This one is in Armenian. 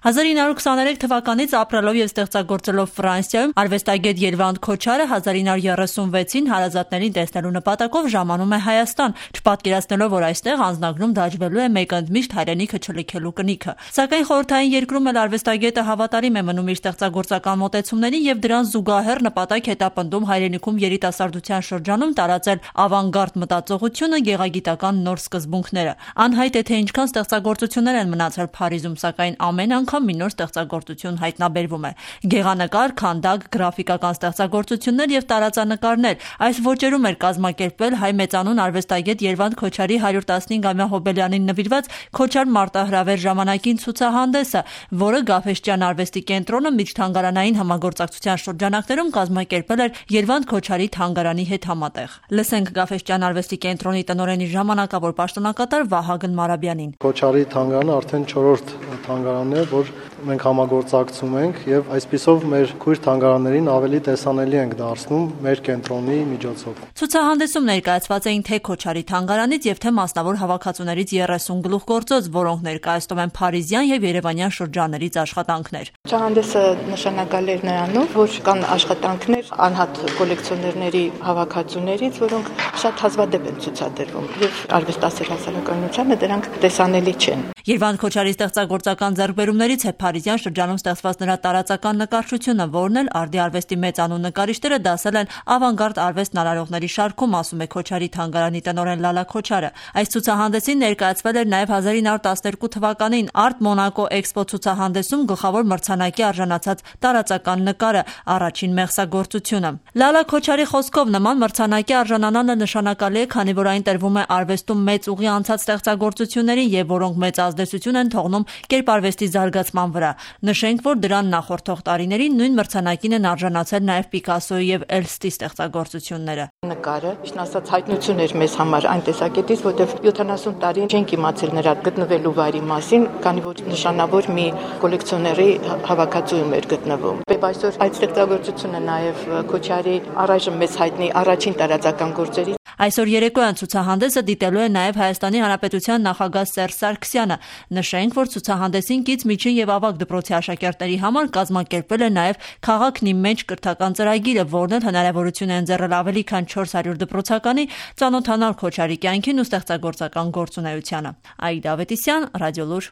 1923 թվականից ապրելով եւ ստեղծագործելով Ֆրանսիայում արվեստագետ Երվանդ Քոչարը 1936-ին հարազատներին տեսնելու նպատակով ժամանում է Հայաստան, չպատկերացնելով, որ այստեղ անձնագրում դաջվելու է մեկընդմիշտ հայրենիքը չլքելու կնիքը։ Սակայն խորհրդային երկրում էլ արվեստագետը հավատարիմ է մնում իր ստեղծագործական մոտեցումներին եւ դրան զուգահեռ նպատակ հետապնդում հայրենիքում երիտասարդության շրջանում տարածել ավանգարդ մտածողությունը, գեղագիտական նոր սկզբունքները։ Անհայտ է, թե ինչքան ստեղծագործություններ են մնացել Փարիզում, սակայն ամեն անգամ մի նոր ստեղծագործություն հայտնաբերվում է։ Գեղանկար, քանդակ, գրաֆիկական ստեղծագործություններ եւ տարածանկարներ։ Այս ոճերում էր կազմակերպվել հայ մեծանուն արվեստագետ Երվանդ Քոչարի 115-ամյա հոբելյանին նվիրված Քոչար մարտահրավեր ժամանակին ցուցահանդեսը, որը Գաֆէսճեան արվեստի կենտրոնը միջթանգարանային համագործակցության շրջանակներում կազմակերպել էր Երվանդ Քոչարի թանգարանի հետ համատեղ։ Լսենք Գաֆէսճեան արվեստի կենտրոնի տնօրենի ժամանակավոր պաշտոնակատար Վահագն Մարաբյանին։ Քոչարի թանգարանը արդեն 4-րդ թանգարանն է, որ մենք համագործակցում ենք եւ այսպիսով մեր քույր թանգարաններին ավելի տեսանելի ենք դարձնում մեր կենտրոնի միջոցով։ Ցուցահանդեսում ներկայացված էին թե Քոչարի թանգարանից եւ թե մասնավոր հավաքածուներից 30 գլուխգործոց, որոնք ներկայացնում են փարիզյան եւ երևանյան շրջաններից աշխատանքներ։ Ցուցահանդեսը նշանակալի էր նրանով, որ կան աշխատանքներ անհատ կոլեկցիոներների հավաքածուներից, որոնք շատ հազվադեպ են ցուցադրվում եւ արվեստասեր հասարակայնությանը դրանք տեսանելի չեն։ Երվանդ Քոչարի ստեղծագործական ձեռքբերումներից է փարիզյան շրջանում ստեղծված նրա տարածական նկարչությունը, որն էլ արդի արվեստի մեծանուն նկարիչները դասել են ավանգարդ արվեստն արարողների շարքում, ասում է Քոչարի թանգարանի տնօրեն Լալա Քոչարը։ Այս ցուցահանդեսին ներկայացվել էր նաև 1912 թվականին Art Monaco Expo ցուցահանդեսում գլխավոր մրցանակի արժանացած տարածական նկարը, առաջին մեղսագործությունը։ Լալա Քոչարի խոսքով նման մրցանակի արժանանալը նշանակալի է, քանի որ այն տրվում է արվեստում մեծ ուղի անցած ստեղծագործություններին եւ որոնք մեծ ազդեցություն են թողնում կերպարվեստի զարգացման վրա։ Նշենք, որ դրան նախորդող տարիներին նույն մրցանակին են արժանացել նաև Պիկասոյի եւ Էլստի ստեղծագործությունները։ Նկարը, ճիշտ ասած, հայտնություն էր մեզ համար այն տեսակետից, որտեղ 70 տարի չենք իմացել նրա գտնվելու վայրի մասին, քանի որ նշանավոր մի կոլեկցիոների հավաքածուում էր գտնվում։ Այսօր այդ ստեղծագործությունը նաև Քոչարի առայժմ մեզ հայտնի առաջին տարածական գործերից։ Այսօր երեկոյան ցուցահանդեսը դիտելու է նաև Հայաստանի Հանրապետության նախագահ Սերժ Սարգսյանը։ Նշենք, որ ցուցահանդեսին կից միջին եւ ավագ դպրոցի աշակերտների համար կազմակերպվել է նաև Քաղաքն իմ մեջ կրթական ծրագիրը, որն էլ հնարավորություն է ընձեռել ավելի քան 400 դպրոցականի ծանոթանալ Քոչարի կյանքին ու ստեղծագործական գործունեությանը։ Այդա Ավետիսյան, Ռադիոլուր։